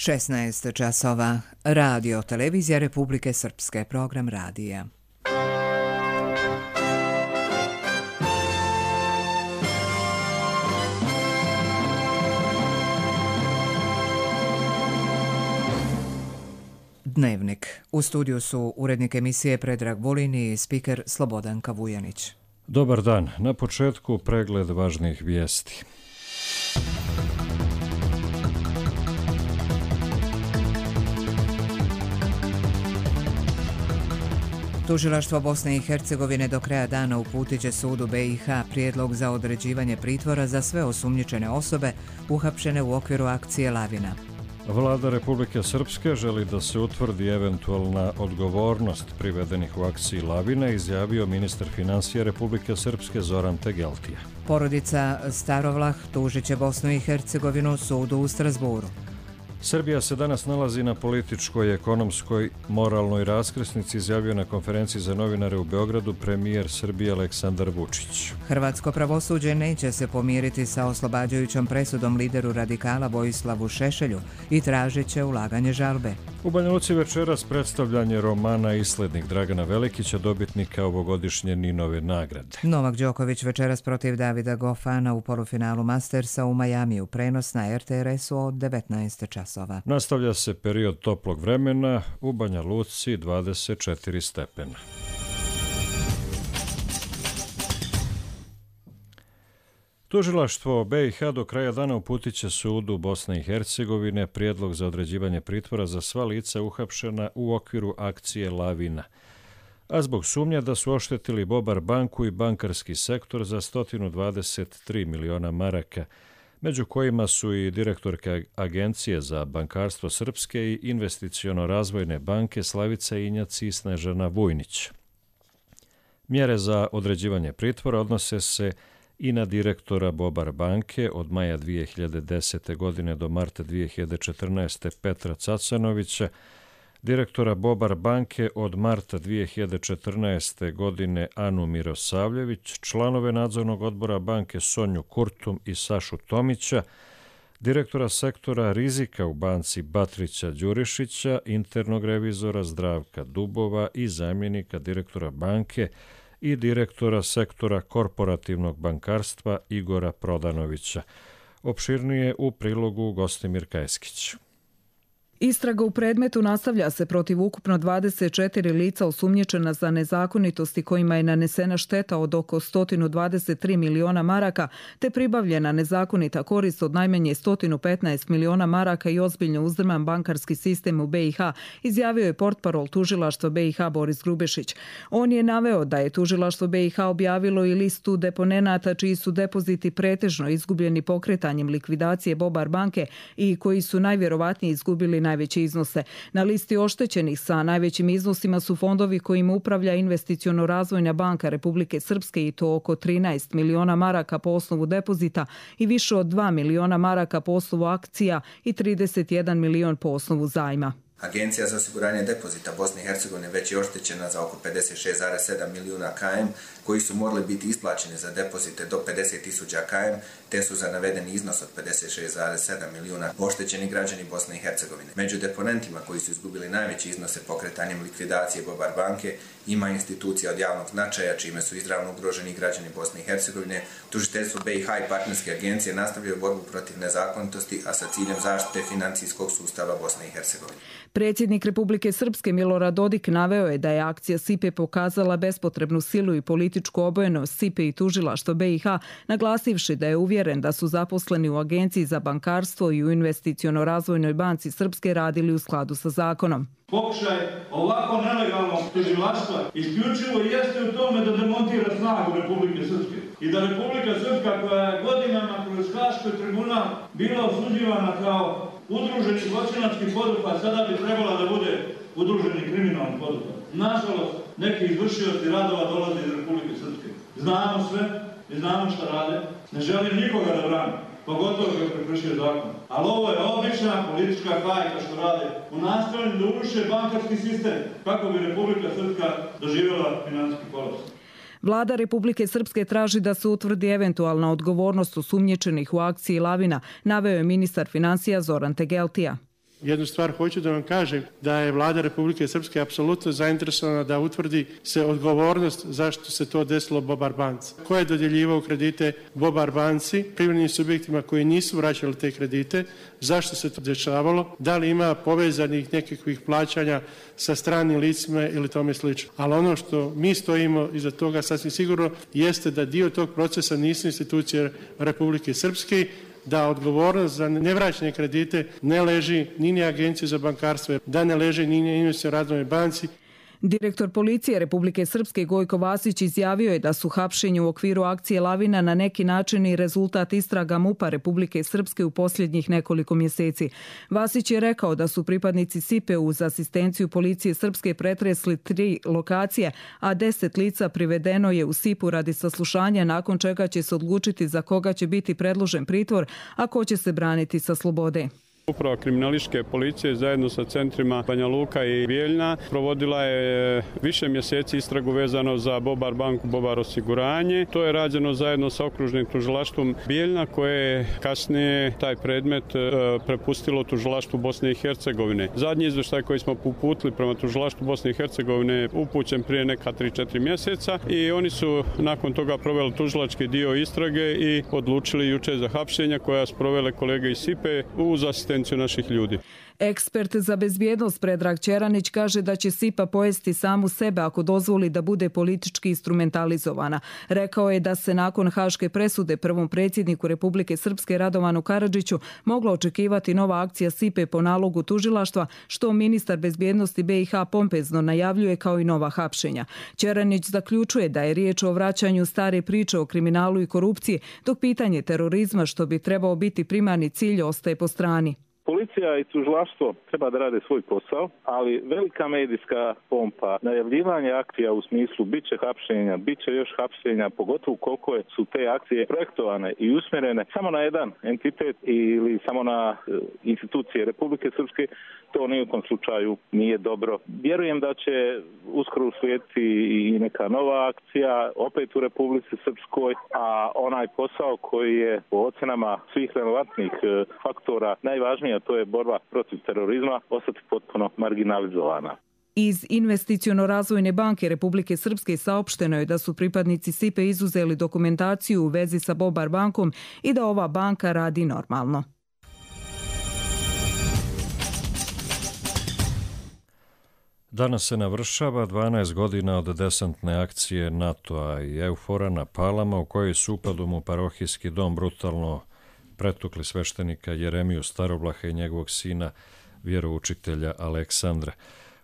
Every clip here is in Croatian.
16 časova. Radio Televizija Republike Srpske. Program radija. Dnevnik. U studiju su urednik emisije Predrag Vulin i spiker Slobodanka Vujanić. Dobar dan. Na početku pregled važnih vijesti. Tužilaštvo Bosne i Hercegovine do kraja dana uputit će sudu BiH prijedlog za određivanje pritvora za sve osumnjičene osobe uhapšene u okviru akcije Lavina. Vlada Republike Srpske želi da se utvrdi eventualna odgovornost privedenih u akciji Lavina, izjavio ministar financija Republike Srpske Zoran Tegeltija. Porodica Starovlah tužit će Bosnu i Hercegovinu sudu u Strasburu. Srbija se danas nalazi na političkoj, ekonomskoj, moralnoj raskrsnici, izjavio na konferenciji za novinare u Beogradu premijer Srbije Aleksandar Vučić. Hrvatsko pravosuđe neće se pomiriti sa oslobađajućom presudom lideru radikala Vojislavu Šešelju i tražit će ulaganje žalbe. U Banja Luci večeras predstavljanje romana Islednik Dragana Velikića, dobitnika ovogodišnje Ninove nagrade. Novak Đoković večeras protiv Davida Goffana u polufinalu Mastersa u Majamiju, prenos na RTRS-u od 19 časova. Nastavlja se period toplog vremena, u Banja Luci 24 stepena. Tužilaštvo BiH do kraja dana uputit će sudu Bosne i Hercegovine prijedlog za određivanje pritvora za sva lica uhapšena u okviru akcije Lavina, a zbog sumnje da su oštetili Bobar banku i bankarski sektor za 123 miliona maraka, među kojima su i direktorka Agencije za bankarstvo Srpske i investiciono-razvojne banke Slavica Injac i Snežana Vujnić. Mjere za određivanje pritvora odnose se i na direktora Bobar banke od maja 2010. godine do marta 2014. Petra Cacanovića, direktora Bobar banke od marta 2014. godine Anu Mirosavljević, članove nadzornog odbora banke Sonju Kurtum i Sašu Tomića, direktora sektora rizika u banci Batrića Đurišića, internog revizora Zdravka Dubova i zamjenika direktora banke i direktora sektora korporativnog bankarstva Igora Prodanovića. Opširnije u prilogu Gostimir Kajskić. Istraga u predmetu nastavlja se protiv ukupno 24 lica osumnjičena za nezakonitosti kojima je nanesena šteta od oko 123 miliona maraka te pribavljena nezakonita korist od najmanje 115 miliona maraka i ozbiljno uzdrman bankarski sistem u BiH, izjavio je portparol tužilaštva BiH Boris Grubešić. On je naveo da je tužilaštvo BiH objavilo i listu deponenata čiji su depoziti pretežno izgubljeni pokretanjem likvidacije Bobar banke i koji su najvjerovatnije izgubili najveće iznose. Na listi oštećenih sa najvećim iznosima su fondovi kojima upravlja investiciono-razvojna banka Republike Srpske i to oko 13 miliona maraka po osnovu depozita i više od 2 miliona maraka po osnovu akcija i 31 milion po osnovu zajma. Agencija za osiguranje depozita Bosne i Hercegovine već je oštećena za oko 56,7 milijuna KM koji su morali biti isplaćeni za depozite do 50.000 KM, te su za navedeni iznos od 56,7 milijuna oštećeni građani Bosne i Hercegovine. Među deponentima koji su izgubili najveće iznose pokretanjem likvidacije Bobar banke ima institucija od javnog značaja čime su izravno ugroženi građani Bosne i Hercegovine. Tužiteljstvo BiH i partnerske agencije nastavljaju borbu protiv nezakonitosti, a sa ciljem zaštite financijskog sustava Bosne i Hercegovine. Predsjednik Republike Srpske Milorad Dodik naveo je da je akcija SIPE pokazala bespotrebnu silu i političku obojenost SIPE i tužilaštva BiH, naglasivši da je uvjeren da su zaposleni u Agenciji za bankarstvo i u investiciono-razvojnoj banci Srpske radili u skladu sa zakonom. Pokušaj ovako nelegalnog tužilaštva isključivo jeste u tome da demontira snagu Republike Srpske i da Republika Srpska koja je godinama kroz Haški tribunal bila osuđivana kao udruženi zločinački poduhvat, sada bi trebala da bude udruženi kriminalni poduhvat. Nažalost, neki izvršioci radova dolaze iz Republike Srpske. Znamo sve i znamo šta rade. Ne želim nikoga da branim, pogotovo koji prekršio zakon. Ali ovo je obična politička hajka što rade u nastojanju da uruše bankarski sistem kako bi Republika Srpska doživjela financijski kolaps. Vlada Republike Srpske traži da se utvrdi eventualna odgovornost osumnjičenih u akciji Lavina, naveo je ministar financija Zoran Tegeltija. Jednu stvar hoću da vam kažem, da je vlada Republike Srpske apsolutno zainteresovana da utvrdi se odgovornost zašto se to desilo Bobar banci. Ko je dodjeljivao kredite Bobar banci, privrednim subjektima koji nisu vraćali te kredite, zašto se to dešavalo, da li ima povezanih nekakvih plaćanja sa stranim licima ili tome slično. Ali ono što mi stojimo iza toga sasvim sigurno jeste da dio tog procesa nisu institucije Republike Srpske, da odgovornost za nevraćanje kredite ne leži ni Agencije za bankarstvo, da ne leži ni Investicionoj razvojnoj banci. Direktor policije Republike Srpske Gojko Vasić izjavio je da su hapšenje u okviru akcije Lavina na neki način i rezultat istraga MUP-a Republike Srpske u posljednjih nekoliko mjeseci. Vasić je rekao da su pripadnici SIPE uz asistenciju policije Srpske pretresli 3 lokacije, a 10 lica privedeno je u SIP-u radi saslušanja, nakon čega će se odlučiti za koga će biti predložen pritvor, a ko će se braniti sa slobode. Uprava kriminalističke policije zajedno sa centrima Banja Luka i Bijeljna provodila je više mjeseci istragu vezano za Bobar banku, Bobar osiguranje. To je rađeno zajedno sa okružnim tužilaštvom Bijeljna koje je kasnije taj predmet prepustilo tužilaštvu Bosne i Hercegovine. Zadnji izvještaj koji smo uputili prema tužilaštvu Bosne i Hercegovine je upućen prije neka 3-4 mjeseca i oni su nakon toga proveli tužilački dio istrage i odlučili jučer za hapšenja koja su provele kolege iz SIPE uz asistenciju naših ljudi. Ekspert za bezbjednost Predrag Čeranić kaže da će SIPA pojesti samu sebe ako dozvoli da bude politički instrumentalizovana. Rekao je da se nakon haške presude prvom predsjedniku Republike Srpske Radovanu Karadžiću mogla očekivati nova akcija SIPE po nalogu tužilaštva, što ministar bezbjednosti BiH pompezno najavljuje kao i nova hapšenja. Čeranić zaključuje da je riječ o vraćanju stare priče o kriminalu i korupciji, dok pitanje terorizma, što bi trebao biti primarni cilj, ostaje po strani. Policija i tužilaštvo treba da rade svoj posao, ali velika medijska pompa, najavljivanje akcija u smislu bit će hapšenja, bit će još hapšenja, pogotovo koliko su te akcije projektovane i usmjerene samo na jedan entitet ili samo na institucije Republike Srpske, to ni u kom slučaju nije dobro. Vjerujem da će uskoro uslijediti i neka nova akcija, opet u Republici Srpskoj, a onaj posao koji je po ocenama svih relevantnih faktora najvažniji, a to je borba protiv terorizma, ostati potpuno marginalizovana. Iz Investiciono-razvojne banke Republike Srpske saopšteno je da su pripadnici SIPE izuzeli dokumentaciju u vezi sa Bobar bankom i da ova banka radi normalno. Danas se navršava 12 godina od desantne akcije NATO-a i EUFOR-a na Palama, u kojoj su upadom u parohijski dom brutalno pretukli sveštenika Jeremiju Starovlaha i njegovog sina, vjeroučitelja Aleksandra.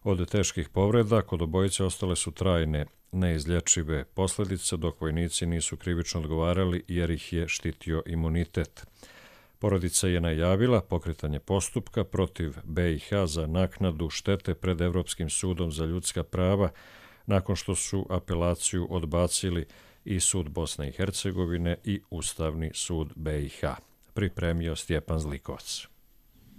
Od teških povreda kod obojice ostale su trajne, neizlječive posljedice, dok vojnici nisu krivično odgovarali jer ih je štitio imunitet. Porodica je najavila pokretanje postupka protiv BiH za naknadu štete pred Evropskim sudom za ljudska prava, nakon što su apelaciju odbacili i Sud Bosne i Hercegovine i Ustavni sud BiH. Pripremio Stjepan Zlikovac.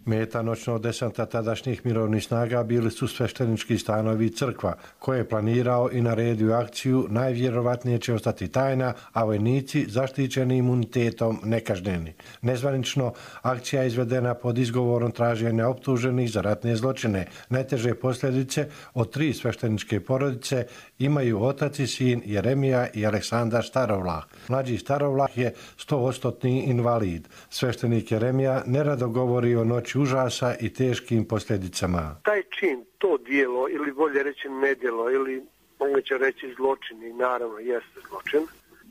Meta noćnog desanta tadašnjih mirovnih snaga bili su sveštenički stanovi i crkva, koje je planirao i naredio akciju, najvjerovatnije će ostati tajna, a vojnici zaštićeni imunitetom nekažnjeni. Nezvanično, akcija je izvedena pod izgovorom traženja optuženih za ratne zločine. Najteže posljedice od 3 svešteničke porodice imaju otac i sin Jeremija i Aleksandar Starovlah. Mlađi Starovlah je 100% invalid. Sveštenik Jeremija nerado govori o noći užasa i teškim posljedicama. Taj čin, to dijelo, ili bolje reći nedjelo, ili moguće reći zločin, i naravno jeste zločin,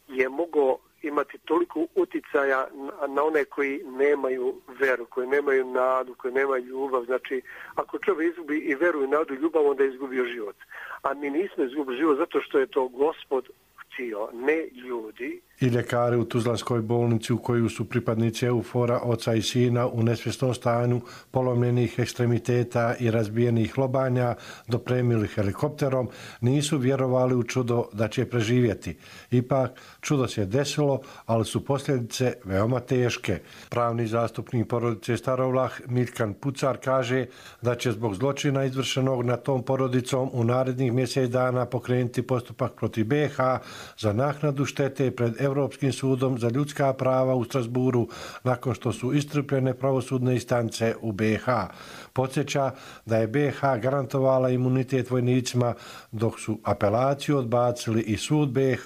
je mogao imati toliko uticaja na one koji nemaju veru, koji nemaju nadu, koji nemaju ljubav. Znači, ako čovjek izgubi i veru i nadu i ljubav, onda je izgubio život. A mi nismo izgubili život zato što je to Gospod htio, ne ljudi. I ljekari u Tuzlanskoj bolnici, u koju su pripadnici EUFOR-a, oca i sina, u nesvjesnom stanju, polomljenih ekstremiteta i razbijenih lobanja dopremili helikopterom, nisu vjerovali u čudo da će preživjeti. Ipak, čudo se desilo, ali su posljedice veoma teške. Pravni zastupnik porodice Starovlah, Miljkan Pucar, kaže da će zbog zločina izvršenog nad tom porodicom u narednih mjesec dana pokrenuti postupak protiv BiH za naknadu štete pred Europskim sudom za ljudska prava u Strasburu nakon što su iscrpljene pravosudne instance u BiH. Podsjeća da je BiH garantovala imunitet vojnicima dok su apelaciju odbacili i sud BiH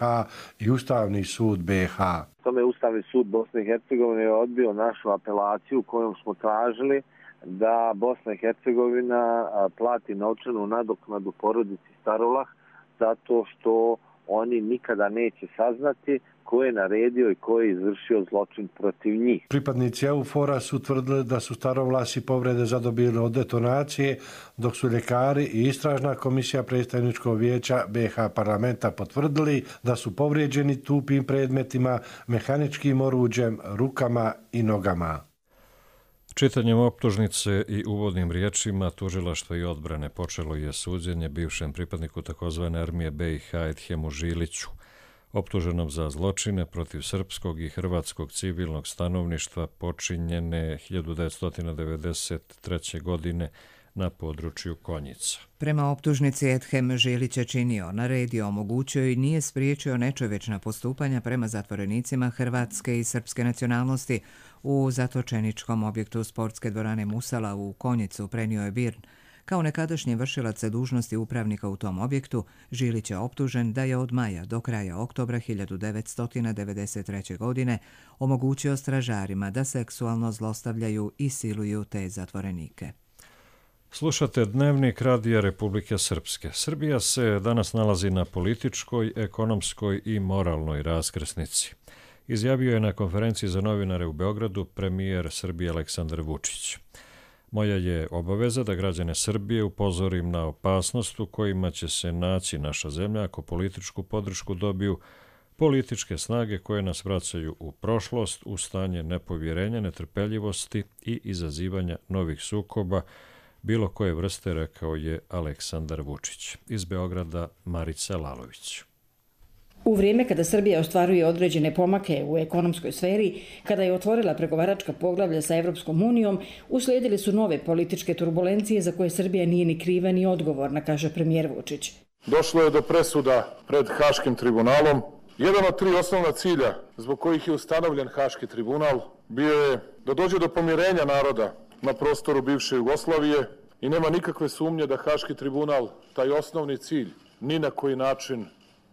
i Ustavni sud BiH. Tome Ustavni sud Bosne i Hercegovine je odbio našu apelaciju kojom smo tražili da Bosna i Hercegovina plati novčanu nadoknadu porodici Starolah zato što oni nikada neće saznati ko je naredio i ko je izvršio zločin protiv njih. Pripadnici EUFOR-a su tvrdili da su starovlasi povrede zadobili od detonacije, dok su ljekari i istražna komisija predstavničkog vijeća BiH parlamenta potvrdili da su povrijeđeni tupim predmetima, mehaničkim oruđem, rukama i nogama. Čitanjem optužnice i uvodnim riječima tužilaštva i odbrane počelo je suđenje bivšem pripadniku takozvane armije BiH Edhemu Žiliću, optuženom za zločine protiv srpskog i hrvatskog civilnog stanovništva počinjene 1993. godine na području Konjica. Prema optužnici Edhem Žilić je činio, naredio, omogućio i nije spriječio nečovječna postupanja prema zatvorenicima hrvatske i srpske nacionalnosti u zatočeničkom objektu sportske dvorane Musala u Konjicu, prenio je BIRN. Kao nekadašnji vršilac dužnosti upravnika u tom objektu, Žilić je optužen da je od maja do kraja oktobra 1993. godine omogućio stražarima da seksualno zlostavljaju i siluju te zatvorenike. Slušate Dnevnik Radija Republike Srpske. Srbija se danas nalazi na političkoj, ekonomskoj i moralnoj raskrsnici. Izjavio je na konferenciji za novinare u Beogradu premijer Srbije Aleksandar Vučić. Moja je obaveza da građane Srbije upozorim na opasnost u kojima će se naći naša zemlja ako političku podršku dobiju političke snage koje nas vraćaju u prošlost, u stanje nepovjerenja, netrpeljivosti i izazivanja novih sukoba bilo koje vrste, rekao je Aleksandar Vučić. Iz Beograda Marica Lalović. U vrijeme kada Srbija ostvaruje određene pomake u ekonomskoj sferi, kada je otvorila pregovaračka poglavlja sa Evropskom unijom, uslijedile su nove političke turbulencije za koje Srbija nije ni kriva ni odgovorna, kaže premijer Vučić. Došlo je do presuda pred Haškim tribunalom. Jedan od 3 osnovna cilja zbog kojih je ustanovljen Haški tribunal bio je da dođe do pomirenja naroda na prostoru bivše Jugoslavije i nema nikakve sumnje da Haški tribunal taj osnovni cilj ni na koji način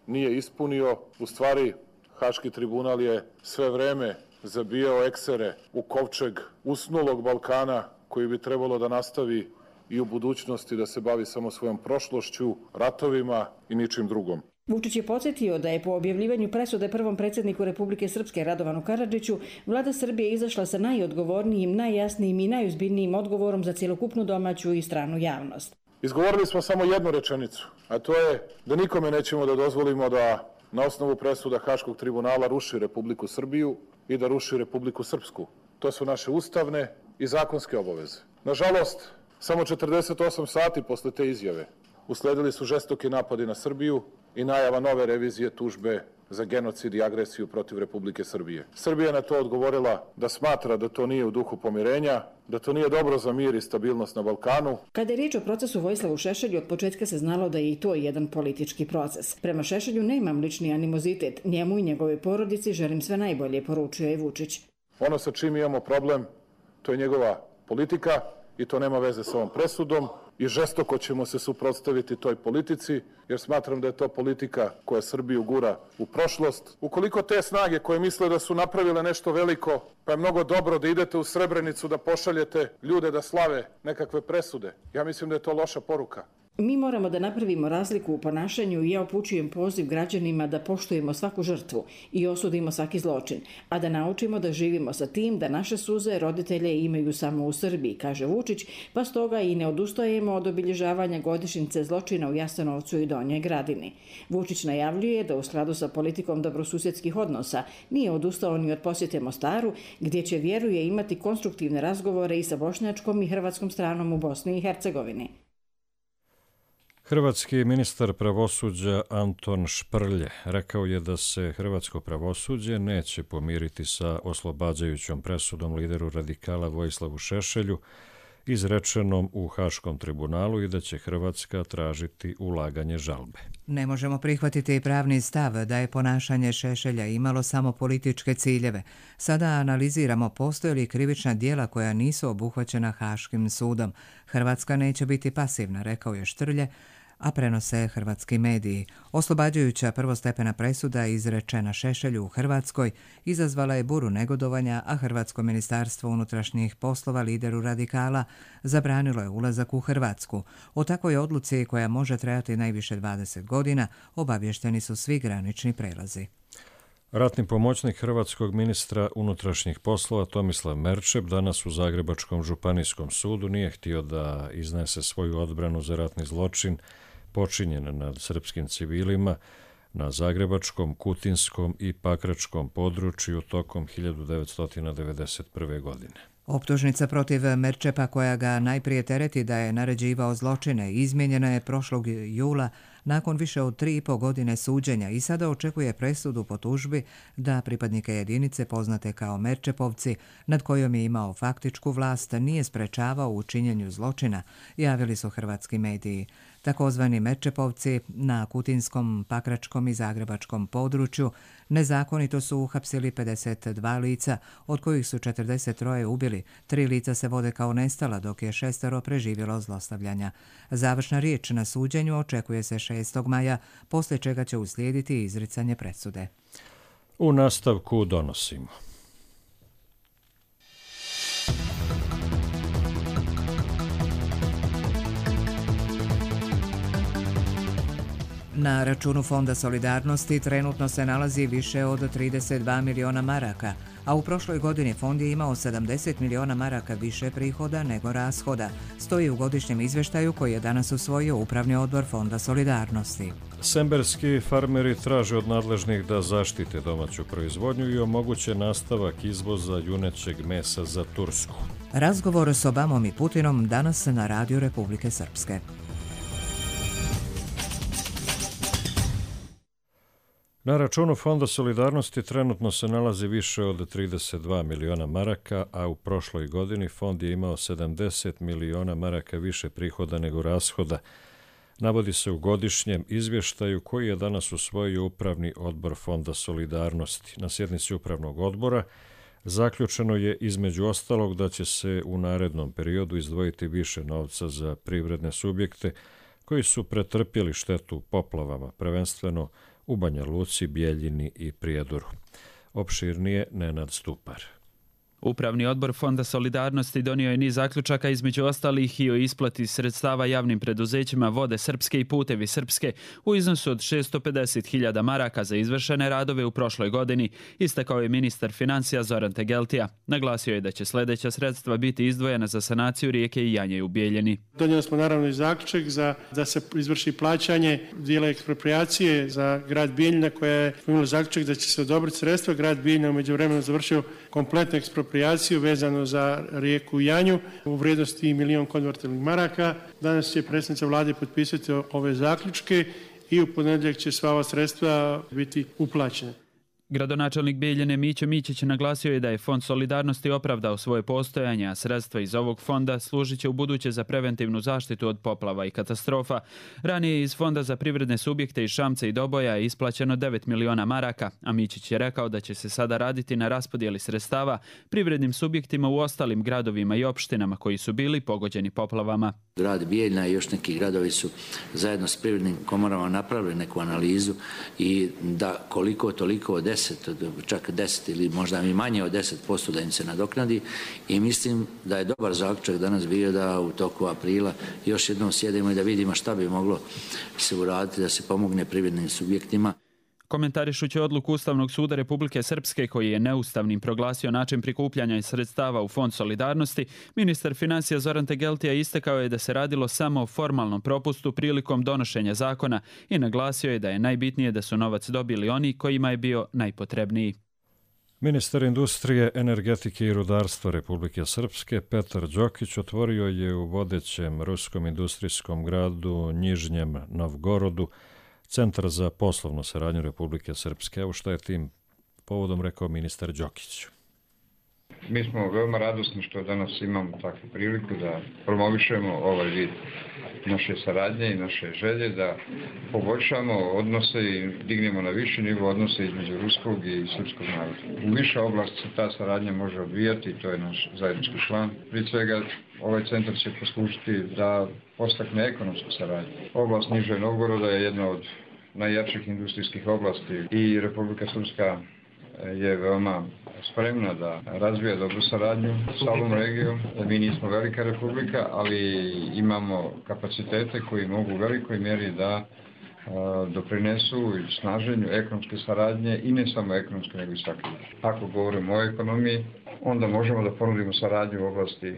nije ispunio. U stvari, Haški tribunal je sve vreme zabijao eksere u kovčeg usnulog Balkana koji bi trebalo da nastavi i u budućnosti da se bavi samo svojom prošlošću, ratovima i ničim drugom. Vučić je podsjetio da je po objavljivanju presude prvom predsjedniku Republike Srpske Radovanu Karadžiću vlada Srbije izašla sa najodgovornijim, najjasnijim i najozbiljnijim odgovorom za cjelokupnu domaću i stranu javnost. Izgovorili smo samo jednu rečenicu, a to je da nikome nećemo da dozvolimo da na osnovu presuda Haškog tribunala ruši Republiku Srbiju i da ruši Republiku Srpsku. To su naše ustavne i zakonske obaveze. Nažalost, samo 48 sati posle te izjave usledili su žestoki napadi na Srbiju i najava nove revizije tužbe za genocid i agresiju protiv Republike Srbije. Srbija je na to odgovorila da smatra da to nije u duhu pomirenja, da to nije dobro za mir i stabilnost na Balkanu. Kada je riječ o procesu Vojislavu Šešelju, od početka se znalo da je i to jedan politički proces. Prema Šešelju nemam lični animozitet. Njemu i njegove porodici želim sve najbolje, poručio je Vučić. Ono sa čim imamo problem, to je njegova politika i to nema veze sa ovom presudom. I žestoko ćemo se suprotstaviti toj politici, jer smatram da je to politika koja Srbiju gura u prošlost. Ukoliko te snage koje misle da su napravile nešto veliko, pa je mnogo dobro da idete u Srebrenicu da pošaljete ljude da slave nekakve presude, ja mislim da je to loša poruka. Mi moramo da napravimo razliku u ponašanju i ja upućujem poziv građanima da poštujemo svaku žrtvu i osudimo svaki zločin, a da naučimo da živimo sa tim da naše suze roditelje imaju samo u Srbiji, kaže Vučić, pa stoga i ne odustajemo od obilježavanja godišnjice zločina u Jasenovcu i Donjoj Gradini. Vučić najavljuje da u skladu sa politikom dobrosusjedskih odnosa nije odustao ni od posjete Mostaru, gdje će, vjeruje, imati konstruktivne razgovore i sa bošnjačkom i hrvatskom stranom u Bosni i Hercegovini. Hrvatski ministar pravosuđa Anton Šprlje rekao je da se hrvatsko pravosuđe neće pomiriti sa oslobađajućom presudom lideru radikala Vojislavu Šešelju izrečenom u Haškom tribunalu i da će Hrvatska tražiti ulaganje žalbe. Ne možemo prihvatiti pravni stav da je ponašanje Šešelja imalo samo političke ciljeve. Sada analiziramo postoje li krivična djela koja nisu obuhvaćena Haškim sudom. Hrvatska neće biti pasivna, rekao je Štrlje, a prenose hrvatski mediji. Oslobađajuća prvostepena presuda izrečena Šešelju u Hrvatskoj izazvala je buru negodovanja, a Hrvatsko ministarstvo unutrašnjih poslova lideru radikala zabranilo je ulazak u Hrvatsku. O takvoj odluci, koja može trajati najviše 20 godina, obavješteni su svi granični prelazi. Ratni pomoćnik hrvatskog ministra unutrašnjih poslova Tomislav Merčep danas u Zagrebačkom županijskom sudu nije htio da iznese svoju odbranu za ratni zločin počinjen nad srpskim civilima na Zagrebačkom, Kutinskom i Pakračkom području tokom 1991. godine. Optužnica protiv Merčepa, koja ga najprije tereti da je naređivao zločine, izmijenjena je prošlog jula nakon više od 3,5 godine suđenja i sada očekuje presudu po tužbi da pripadnike jedinice poznate kao Merčepovci, nad kojom je imao faktičku vlast, nije sprečavao u činjenju zločina, javili su hrvatski mediji. Takozvani Merčepovci na Kutinskom, Pakračkom i Zagrebačkom području nezakonito su uhapsili 52 lica, od kojih su 43 ubili. 3 lica se vode kao nestala, dok je 6 preživjelo zlostavljanja. Završna riječ na suđenju očekuje se 6. maja, poslije čega će uslijediti izricanje presude. U nastavku donosimo. Na računu Fonda solidarnosti trenutno se nalazi više od 32 miliona maraka, a u prošloj godini fond je imao 70 miliona maraka više prihoda nego rashoda, stoji u godišnjem izvještaju koji je danas usvojio Upravni odbor Fonda solidarnosti. Semberski farmeri traže od nadležnih da zaštite domaću proizvodnju i omoguće nastavak izvoza junećeg mesa za Tursku. Razgovor s Obamom i Putinom danas na Radiju Republike Srpske. Na računu Fonda solidarnosti trenutno se nalazi više od 32 miliona maraka, a u prošloj godini fond je imao 70 miliona maraka više prihoda nego rashoda. Navodi se u godišnjem izvještaju koji je danas usvojio Upravni odbor Fonda solidarnosti. Na sjednici Upravnog odbora zaključeno je između ostalog da će se u narednom periodu izdvojiti više novca za privredne subjekte koji su pretrpjeli štetu poplavama, prvenstveno u Banja Luci, Bijeljini i Prijedoru. Opširnije Nenad Stupar. Upravni odbor Fonda solidarnosti donio je niz zaključaka, između ostalih i o isplati sredstava javnim preduzećima Vode Srpske i Putevi Srpske u iznosu od 650.000 maraka za izvršene radove u prošloj godini, istakao je ministar financija Zoran Tegeltija. Naglasio je da će sljedeća sredstva biti izdvojena za sanaciju rijeke Janje u Bijeljini. Donijeli smo naravno i zaključak da se izvrši plaćanje dijela eksproprijacije za grad Bijeljina, koja je imala zaključak da će se odobriti sredstva. Grad Bijeljina u međuvremenu završio kompletnu ekspropriaciju vezano za rijeku Janju u vrijednosti 1 milion konvertibilnih maraka. Danas će predsjednica vlade potpisati ove zaključke i u ponedjeljak će sva ova sredstva biti uplaćena. Gradonačelnik Bijeljine Mićo Mićić naglasio je da je Fond solidarnosti opravdao svoje postojanje, a sredstva iz ovog fonda služit će u buduće za preventivnu zaštitu od poplava i katastrofa. Ranije iz Fonda za privredne subjekte iz Šamca i Doboja je isplaćeno 9 miliona maraka, a Mićić je rekao da će se sada raditi na raspodjeli sredstava privrednim subjektima u ostalim gradovima i opštinama koji su bili pogođeni poplavama. Grad Bijeljina i još neki gradovi su zajedno s privrednim komorama napravili neku analizu i da koliko toliko od 10, čak 10 ili možda i manje od 10% da im se nadoknadi, i mislim da je dobar zaključak danas bio da u toku aprila još jednom sjedimo i da vidimo šta bi moglo se uraditi da se pomogne privrednim subjektima. Komentarišući odluku Ustavnog suda Republike Srpske, koji je neustavnim proglasio način prikupljanja sredstava u Fond solidarnosti, ministar financija Zoran Tegeltija istakao je da se radilo samo o formalnom propustu prilikom donošenja zakona i naglasio je da je najbitnije da su novac dobili oni kojima je bio najpotrebniji. Ministar industrije, energetike i rudarstva Republike Srpske Petar Đokić otvorio je u vodećem ruskom industrijskom gradu Njižnjem Novgorodu Centar za poslovnu saradnju Republike Srpske, u što je tim povodom rekao ministar Đokić. Mi smo veoma radosni što danas imamo takvu priliku da promovišemo ovaj vid naše saradnje i naše želje da poboljšamo odnose i dignemo na viši nivo odnose između ruskog i srpskog naroda. U više oblasti se ta saradnja može odvijati, to je naš zajednički plan. Prije svega ovaj centar će poslužiti da postakne ekonomsku saradnju. Oblast Nižeg Novgoroda je jedna od najjačih industrijskih oblasti i Republika Srpska je veoma spremna da razvija dobru saradnju sa ovom regijom. Mi nismo velika republika, ali imamo kapacitete koji mogu u velikoj mjeri da doprinesu snaženju ekonomske saradnje i ne samo ekonomske, nego i svake. Ako govorimo o ekonomiji, onda možemo da ponudimo saradnju u oblasti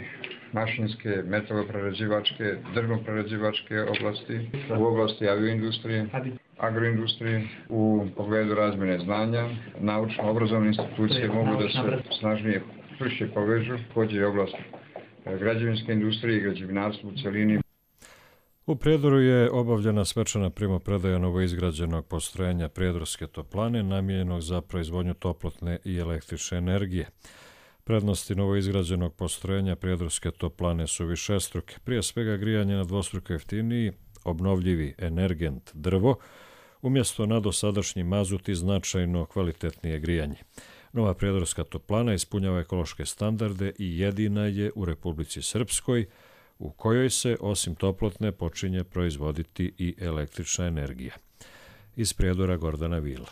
mašinske, metaloprerađivačke, drvnoprerađivačke oblasti, u oblasti avioindustrije, agroindustrije, u pogledu razmjene znanja, naučno-obrazovne institucije mogu da se snažnije čvršće povežu, također i oblast građevinske industrije i građevinarstva u cjelini. U Prijedoru je obavljena svečana primopredaja novoizgrađenog postrojenja Prijedorske toplane namijenjenog za proizvodnju toplotne i električne energije. Prednosti novoizgrađenog postrojenja Prijedorske toplane su višestruke, prije svega grijanje na dvostruko jeftiniji, obnovljivi energent drvo, umjesto na dosadašnji mazut i značajno kvalitetnije grijanje. Nova Prijedorska toplana ispunjava ekološke standarde i jedina je u Republici Srpskoj, u kojoj se osim toplotne počinje proizvoditi i električna energija. Iz Prijedora Gordana Vila.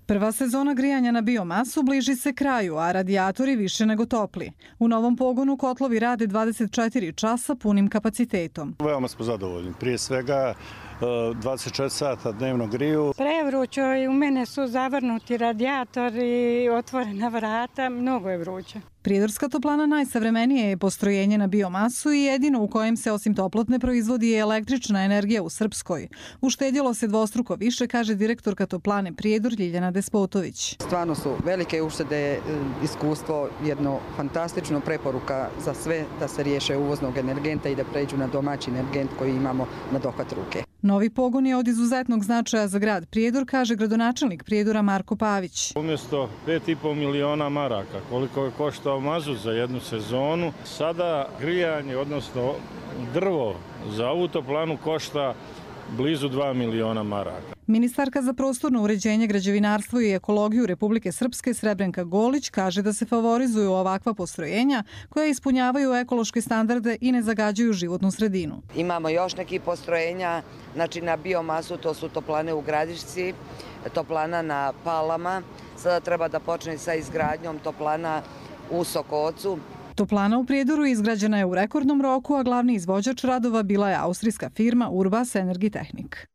Prva sezona grijanja na biomasu bliži se kraju, a radijatori više nego topli. U novom pogonu kotlovi rade 24 časa punim kapacitetom. Veoma smo zadovoljni. Prije svega 24 sata dnevno griju. Prevrućo i u mene su zavrnuti radijatori, otvorena vrata, mnogo je vruće. Prijedorska toplana najsavremenije je postrojenje na biomasu i jedino u kojem se osim toplotne proizvodi i električna energija u Srpskoj. Uštedjelo se dvostruko više, kaže direktorka toplane Prijedor Ljiljana Despotović. Stvarno su velike uštede, iskustvo, jedno fantastično preporuka za sve da se riješe uvoznog energenta i da pređu na domaći energent koji imamo na dohvat ruke. Novi pogon je od izuzetnog značaja za grad Prijedor, kaže gradonačelnik Prijedora Marko Pavić. Umjesto 5,5 miliona maraka, koliko je koštao mazut za jednu sezonu, sada grijanje, odnosno drvo za ovu toplanu košta blizu 2 miliona maraka. Ministarka za prostorno uređenje, građevinarstvo i ekologiju Republike Srpske Srebrenka Golić kaže da se favorizuju ovakva postrojenja koja ispunjavaju ekološke standarde i ne zagađuju životnu sredinu. Imamo još neki postrojenja, znači na biomasu, to su toplane u Gradišci, toplana na Palama. Sada treba da počne sa izgradnjom toplana u Sokocu. Toplana u Prijedoru izgrađena je u rekordnom roku, a glavni izvođač radova bila je austrijska firma Urbas Energitechnik.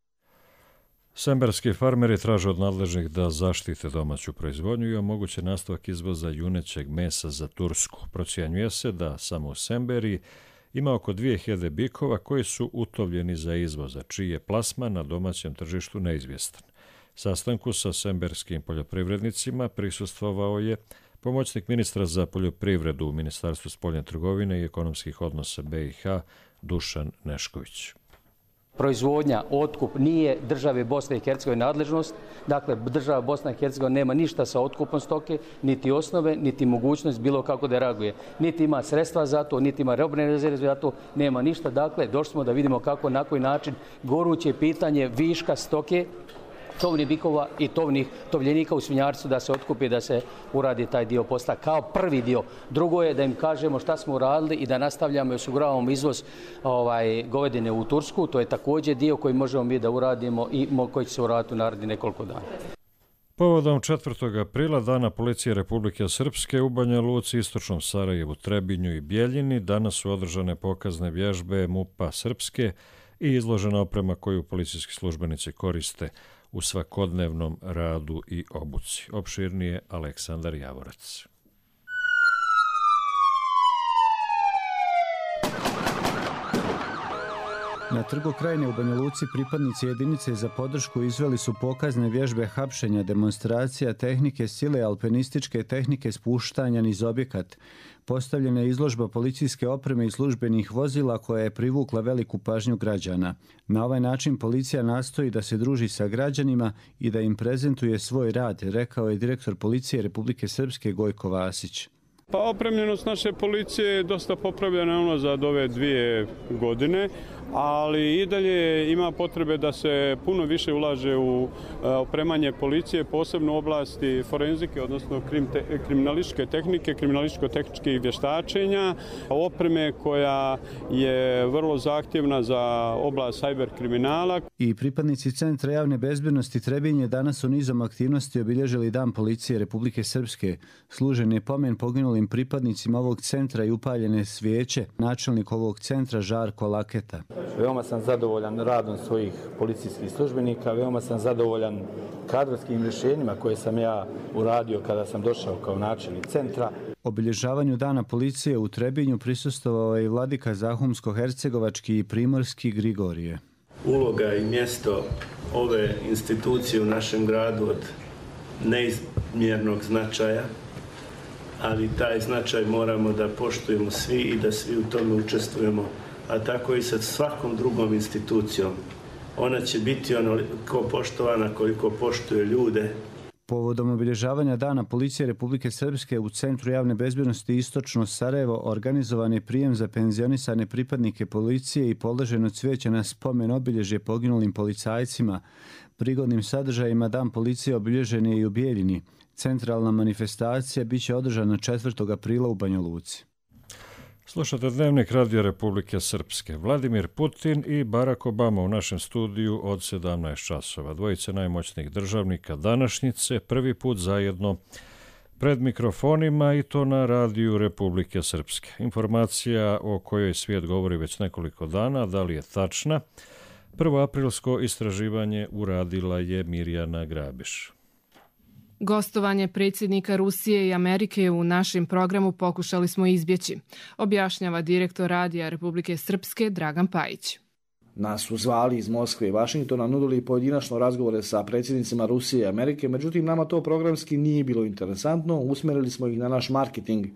Semberski farmeri traže od nadležnih da zaštite domaću proizvodnju i omoguće nastavak izvoza junećeg mesa za Tursku. Procjenjuje se da samo u Semberiji ima oko 2000 bikova koji su utovljeni za izvoz, a čiji je plasman na domaćem tržištu neizvjestan. Sastanku sa semberskim poljoprivrednicima prisustvovao je pomoćnik ministra za poljoprivredu u Ministarstvu spoljne trgovine i ekonomskih odnosa BiH Dušan Nešković. Proizvodnja, otkup nije države Bosne i Hercegovine nadležnost. Dakle, država Bosna i Hercegovina nema ništa sa otkupom stoke, niti osnove, niti mogućnost bilo kako da reaguje. Niti ima sredstva za to, niti ima robne rezerve za to, nema ništa. Dakle, došli smo da vidimo kako, na koji način goruće pitanje viška stoke, tovnih bikova i tovljenika u svinjarstvu da se otkupi, da se uradi taj dio posla kao prvi dio. Drugo je da im kažemo šta smo uradili i da nastavljamo i osiguravamo izvoz govedine u Tursku. To je također dio koji možemo mi da uradimo i koji će se uraditi u narednih nekoliko dana. Povodom 4. aprila, Dana policije Republike Srpske u Banja Luci, Istočnom Sarajevu, Trebinju i Bijeljini, danas su održane pokazne vježbe MUP-a Srpske i izložena oprema koju policijski službenici koriste u svakodnevnom radu i obuci. Opširnije Aleksandar Javorac. Na Trgu Krajine u Banja Luci pripadnici jedinice za podršku izveli su pokazne vježbe hapšenja, demonstracija tehnike sile, alpinističke tehnike spuštanja niz objekat. Postavljena je izložba policijske opreme i službenih vozila koja je privukla veliku pažnju građana. Na ovaj način policija nastoji da se druži sa građanima i da im prezentuje svoj rad, rekao je direktor policije Republike Srpske Gojko Vasić. Pa opremljenost naše policije je dosta popravljena za ove 2 godine, ali i dalje ima potrebe da se puno više ulaže u opremanje policije, posebno u oblasti forenzike, odnosno kriminalističke tehnike, kriminalističko-tehničkih vještačenja, opreme koja je vrlo zahtjevna za oblast cyber kriminala. I pripadnici Centra javne bezbednosti Trebinje danas su nizom aktivnosti obilježili Dan policije Republike Srpske. Služen je pomen poginulim pripadnicima ovog centra i upaljene svijeće. Načelnik ovog centra Žarko Laketa. Veoma sam zadovoljan radom svojih policijskih službenika, veoma sam zadovoljan kadrovskim rješenjima koje sam ja uradio kada sam došao kao načelnik centra. Obilježavanju Dana policije u Trebinju prisustvovao je i vladika Zahumsko-hercegovački i primorski Grigorije. Uloga i mjesto ove institucije u našem gradu od neizmjernog značaja, ali taj značaj moramo da poštujemo svi i da svi u tome učestvujemo, a tako i sa svakom drugom institucijom. Ona će biti onoliko poštovana koliko poštuje ljude. Povodom obilježavanja Dana policije Republike Srpske u Centru javne bezbednosti Istočno Sarajevo organizovan je prijem za penzionisane pripadnike policije i položeno cvijeće na spomen obilježje poginulim policajcima. Prigodnim sadržajima Dan policije obilježen je i u Bijeljini. Centralna manifestacija biće održana 4. aprila u Banja Luci. Slušate Dnevnik Radio Republike Srpske. Vladimir Putin i Barack Obama u našem studiju od 17 časova. Dvojice najmoćnijih državnika današnjice prvi put zajedno pred mikrofonima i to na Radiju Republike Srpske. Informacija o kojoj svijet govori već nekoliko dana, da li je tačna? Prvoaprilsko istraživanje uradila je Mirjana Grabiš. Gostovanje predsjednika Rusije i Amerike u našem programu pokušali smo izbjeći, objašnjava direktor Radija Republike Srpske Dragan Pajić. Nas su zvali iz Moskve i Vašingtona, nudili pojedinačno razgovore sa predsjednicima Rusije i Amerike, međutim nama to programski nije bilo interesantno, usmjerili smo ih na naš marketing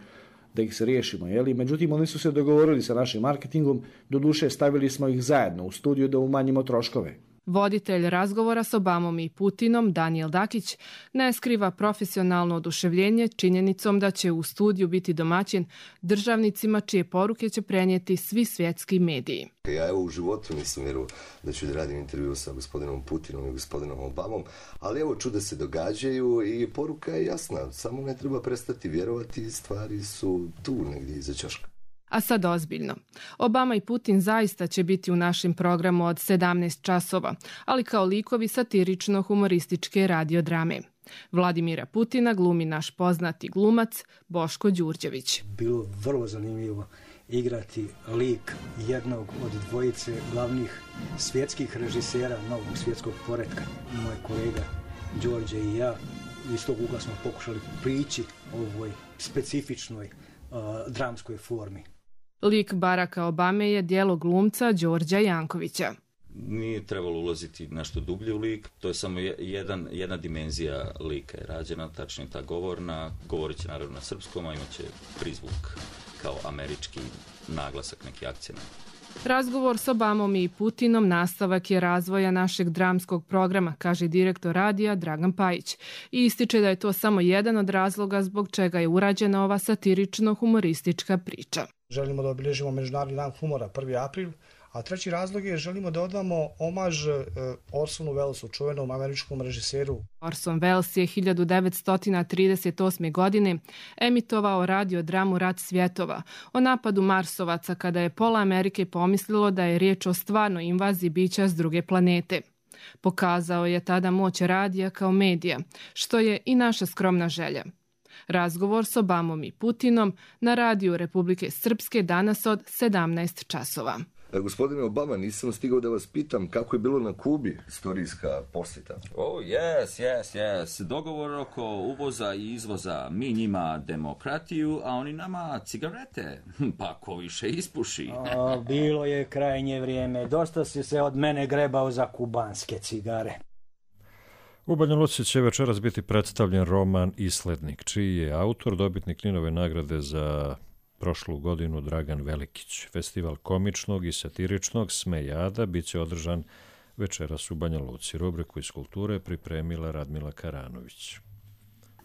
da ih se riješimo. Međutim, oni su se dogovorili sa našim marketingom, doduše stavili smo ih zajedno u studiju da umanjimo troškove. Voditelj razgovora s Obamom i Putinom, Daniel Dakić, ne skriva profesionalno oduševljenje činjenicom da će u studiju biti domaćin državnicima čije poruke će prenijeti svi svjetski mediji. Ja u životu nisam vjerovao da ću da radim intervju sa gospodinom Putinom i gospodinom Obamom, ali čuda se događaju i poruka je jasna. Samo ne treba prestati vjerovati, stvari su tu negdje iza ćoška. A sad ozbiljno. Obama i Putin zaista će biti u našem programu od 17 časova, ali kao likovi satirično-humorističke radiodrame. Vladimira Putina glumi naš poznati glumac Boško Đurđević. Bilo vrlo zanimljivo igrati lik jednog od dvojice glavnih svjetskih režisera novog svjetskog poretka. Moj kolega Đorđe i ja iz tog ugla smo pokušali prići ovoj specifičnoj dramskoj formi. Lik Baracka Obame je djelo glumca Đorđa Jankovića. Nije trebalo ulaziti nešto dublje u lik, to je samo jedna dimenzija lika je rađena, tačnije ta govorna, govorit će naravno na srpskom, a imat će prizvuk kao američki naglasak, neki akcent. Razgovor s Obamom i Putinom nastavak je razvoja našeg dramskog programa, kaže direktor radija Dragan Pajić. I ističe da je to samo jedan od razloga zbog čega je urađena ova satirično-humoristička priča. Želimo da obilježimo Međunarodni dan humora 1. april, a treći razlog je želimo da odamo omaž Orsonu Wellesu, čuvenom američkom režiseru. Orson Welles je 1938. godine emitovao radiodramu Rat svjetova o napadu Marsovaca kada je pola Amerike pomislilo da je riječ o stvarnoj invaziji bića s druge planete. Pokazao je tada moć radija kao medija, što je i naša skromna želja. Razgovor s Obamom i Putinom na Radiju Republike Srpske danas od 17 časova. Gospodine Obama, nisam stigao da vas pitam kako je bilo na Kubi istorijska posjeta. Oh, yes. Dogovor oko uvoza i izvoza. Mi njima demokratiju, a oni nama cigarete. Pa ko više ispuši. Bilo je krajnje vrijeme. Dosta si se od mene grebao za kubanske cigare. U Banja Luci će večeras biti predstavljen roman Islednik, čiji je autor dobitnik Ninove nagrade za prošlu godinu Dragan Velikić. Festival komičnog i satiričnog Smejada bit će održan večeras u Banja Luci. Rubriku iz kulture pripremila Radmila Karanović.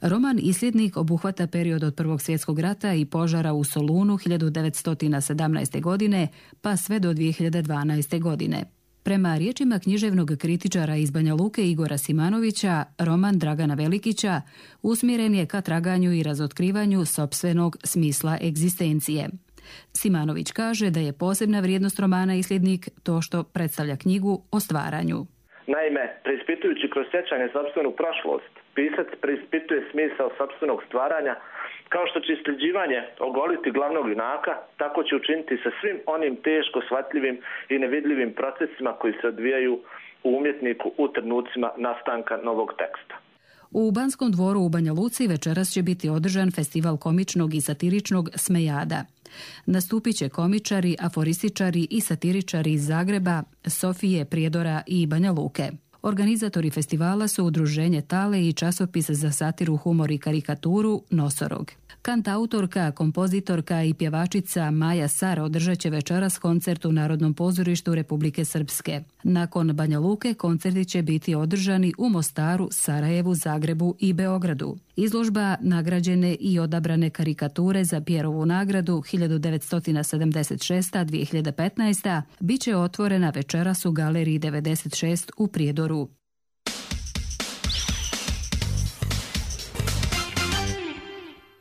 Roman Isljednik obuhvata period od Prvog svjetskog rata i požara u Solunu 1917. godine pa sve do 2012. godine. Prema riječima književnog kritičara iz Banja Luke Igora Simanovića, roman Dragana Velikića usmjeren je ka traganju i razotkrivanju sopstvenog smisla egzistencije. Simanović kaže da je posebna vrijednost romana Isljednik to što predstavlja knjigu o stvaranju. Naime, preispitujući kroz sjećanje sopstvenu prošlost, pisac preispituje smisao sopstvenog stvaranja, kao što će isljeđivanje ogoliti glavnog junaka, tako će učiniti sa svim onim teško shvatljivim i nevidljivim procesima koji se odvijaju u umjetniku u trenucima nastanka novog teksta. U Banskom dvoru u Banja Luci večeras će biti održan festival komičnog i satiričnog Smejada. Nastupit će komičari, aforističari i satiričari iz Zagreba, Sofije, Prijedora i Banja Luke. Organizatori festivala su udruženje Tale i časopis za satiru, humor i karikaturu Nosorog. Kantautorka, kompozitorka i pjevačica Maja Sar održat će večeras koncert u Narodnom pozorištu Republike Srpske. Nakon Banja Luke koncerti će biti održani u Mostaru, Sarajevu, Zagrebu i Beogradu. Izložba nagrađene i odabrane karikature za Pjerovu nagradu 1976-2015 bit će otvorena večeras u Galeriji 96 u Prijedoru.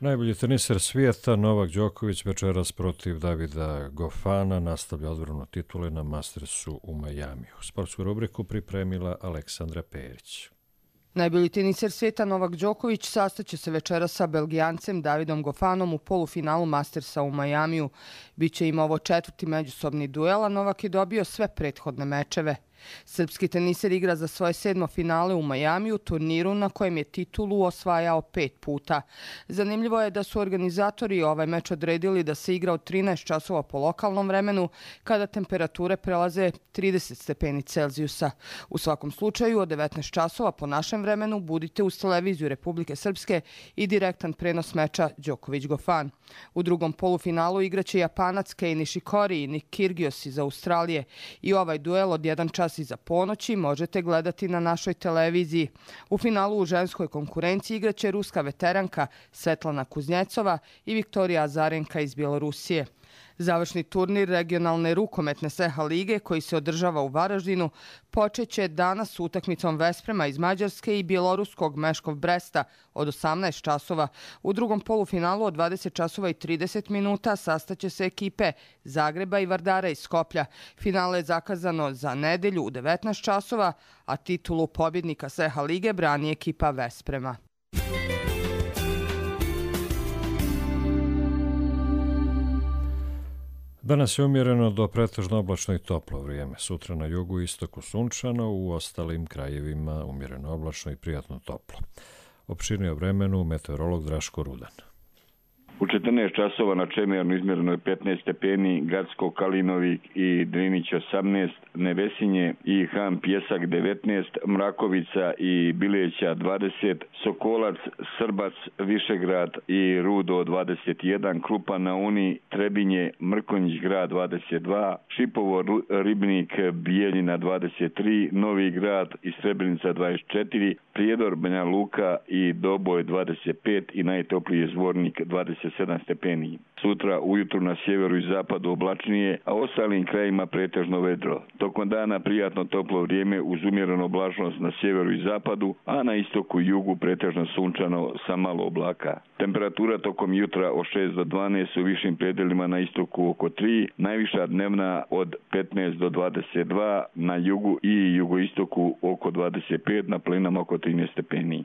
Najbolji teniser svijeta Novak Đoković večeras protiv Davida Gofana nastavlja odbranu titule na Mastersu u Majamiju. Sportsku rubriku pripremila Aleksandra Perić. Najbolji teniser svijeta Novak Đoković sastaće se večeras sa Belgijancem Davidom Gofanom u polufinalu Mastersa u Majamiju. Biće im ovo 4. međusobni duel, a Novak je dobio sve prethodne mečeve. Srpski teniser igra za svoje 7. finale u Majamiju, turniru na kojem je titulu osvajao 5 puta. Zanimljivo je da su organizatori ovaj meč odredili da se igra od 13 časova po lokalnom vremenu, kada temperature prelaze 30 stepeni Celzijusa. U svakom slučaju, od 19 časova po našem vremenu budite uz televiziju Republike Srpske i direktan prenos meča Đoković-Gofan. U drugom polufinalu igraće Japanac Kei Nishikori i Nick Kyrgios iz Australije i ovaj duel od 1 čas iza ponoći možete gledati na našoj televiziji. U finalu u ženskoj konkurenciji igraće ruska veteranka Svetlana Kuznjecova i Viktorija Azarenka iz Bjelorusije. Završni turnir regionalne rukometne SEHA lige koji se održava u Varaždinu počeće danas s utakmicom Vesprema iz Mađarske i bjeloruskog Meškov Bresta od 18 časova. U drugom polufinalu od 20 časova i 30 minuta sastaće se ekipe Zagreba i Vardara iz Skoplja. Finale je zakazano za nedelju u 19 časova, a titulu pobjednika SEHA lige brani ekipa Vesprema. Danas je umjereno do pretežno oblačno i toplo vrijeme. Sutra na jugu i istoku sunčano, u ostalim krajevima umjereno oblačno i prijatno toplo. Opširnije o vremenu meteorolog Draško Rudan. U 14 časova na Čemernu izmjereno je 15 stepeni, Gacko, Kalinovik i Drinić 18, Nevesinje i Han Pjesak 19, Mrakovica i Bileća 20, Sokolac, Srbac, Višegrad i Rudo 21, Krupa na Uni, Trebinje, Mrkonjić grad 22, Šipovo, Ribnik, Bijeljina 23, Novi grad i Srebrenica 24, Prijedor, Banja Luka i Doboj 25 i najtopliji je Zvornik 27 stepeni. Sutra ujutru na sjeveru i zapadu oblačnije, a ostalim krajima pretežno vedro. Tokom dana prijatno toplo vrijeme uz umjerenu oblačnost na sjeveru i zapadu, a na istoku i jugu pretežno sunčano sa malo oblaka. Temperatura tokom jutra od 6 do 12 u višim predelima na istoku oko 3, najviša dnevna od 15 do 22, na jugu i jugoistoku oko 25, na planinama oko 13 stepeni.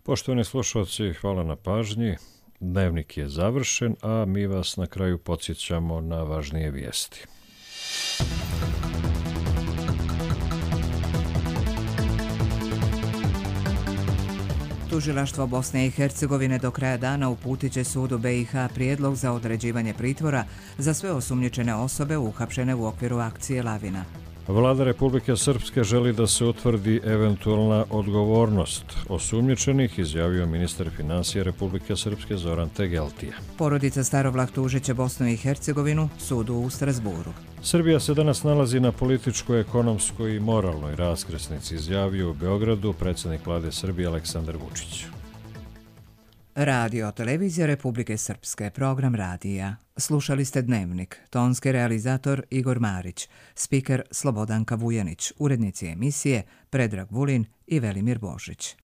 Poštovani slušalci, hvala na pažnji. Dnevnik je završen, a mi vas na kraju podsjećamo na važnije vijesti. Tužilaštvo Bosne i Hercegovine do kraja dana uputit će sudu BiH prijedlog za određivanje pritvora za sve osumnjičene osobe uhapšene u okviru akcije Lavina. Vlada Republike Srpske želi da se utvrdi eventualna odgovornost osumnjičenih, izjavio ministar financija Republike Srpske Zoran Tegeltija. Porodica Starovlah tužit će Bosnu i Hercegovinu sudu u Strasburu. Srbija se danas nalazi na političkoj, ekonomskoj i moralnoj raskrsnici, izjavio u Beogradu predsjednik vlade Srbije Aleksandar Vučić. Radio Televizija Republike Srpske, program radija. Slušali ste Dnevnik, tonski realizator Igor Marić, spiker Slobodanka Vujanić, urednici emisije Predrag Vulin i Velimir Božić.